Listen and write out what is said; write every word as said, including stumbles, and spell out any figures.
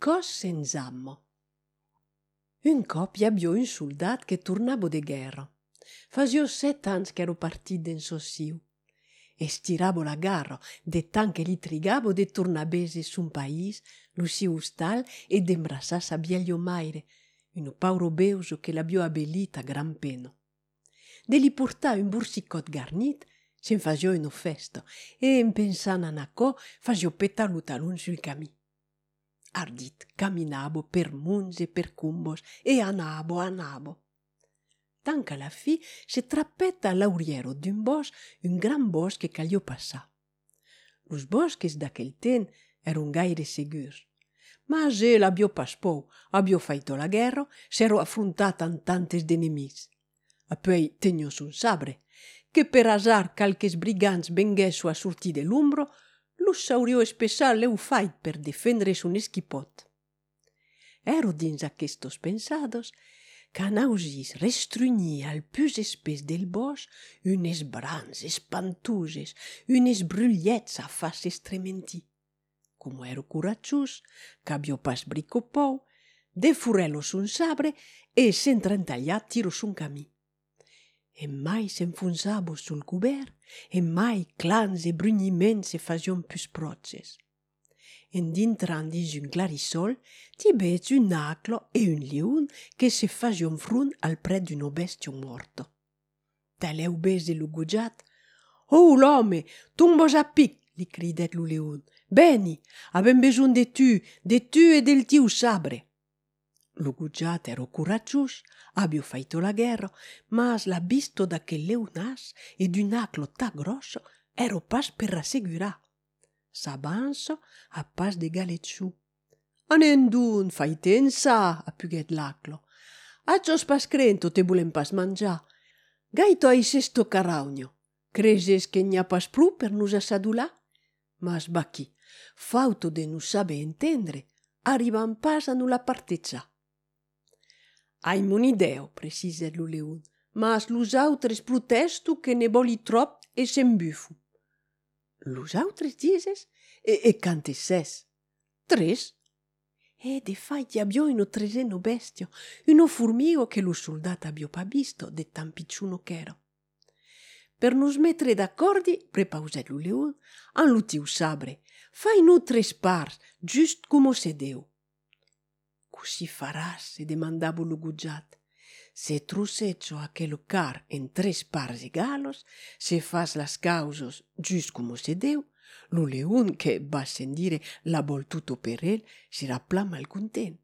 cos senza ammo. Un cop hi aviò un soldat che tornava de guerra. Fasio set ans che ero partit d'en sossiu. E stiravo la garra, de tant che li trigavo de tornar bese sun país, lo siu ostal e d'embrassar sa vieglio maire, un pauro beuso che l'abbio abbellit a gran pena. De li portar un bursicot garnit, se'n fasio una festa, e en pensant a Nacò, fasio petar lo talon sul camí. Ardit, camminavo per munts e per cumbos, e anavo, anavo. Tant qu'à la fi se trappetta a l'auriero d'un bosc, un gran bosc che cagliò passar. Los bosques d'aquel temps eran gaire segurs. Mas el abbio pas pou, abbio faito la guerra, s'ero affrontat amb tantes d'enemics. Apoi tenio son sabre, che per hasard calques brigants venguesso a sortir de l'ombra, lo saurio espessar l'eu fait per defendre son esquipot. Ero dins aquestos pensados, qu'an ausis restrunyir al pus espès del bosc unes brans espantoses, unes brulhets a fas estrementi. Como ero coratjós, qu'abbio pas brico pou, defurrèlo son sabre e s'entrentalhar tiro son camí. E mai s'enfonzavo sul cobert, e mai clans e brugniments se fasion pus proches. En dintrant dins un clarissol, ti veig un aclo e un liun che se fasion front al pret d'una bestia morta. Taleu bese lo gojat. «Oh, l'home, tombos a pic!» li cridet lo leun. «Beni, avem beson de tu, de tu e del tiu sabre!» Lo gojat ero coratjós, abbio faito la guerra, mas la visto d'aquel leunàs e d'un aclo ta grosso ero pas per rassegurar. S'avança a pas de galetsciu. «Anem d'un, faite ensà!» appuguèt l'aclo. «Atjos pas crento te volem pas mangiar. Gaito ais esto caraugno. Creses que n'hi ha pas pru per nos assadular? Mas baquí, fauto de nos saber entendre, arribam pas a no la partejar.» «Aim un'idea», precisèt lo leun, «mas los autres protesto que ne voli trop e s'embufu.» «Los autres dises? E, e quantes ses?» «Tres.» «E de fait i aviò una tresena bestia, una formiga che lo soldat aviò pas visto, de tan picciuno ch'era.» «Per nos metre d'accordi», prepausèt lo leun, «an lo tiu sabre, fai no tres parts, just como se deu.» «Così faràs?» se demandava lo gojat. «Se trosseggio aquel car en tres parts egalos, se fas las causos just como se deu, lo leun, che va sentire la vol tutto per el, serà plan mal content.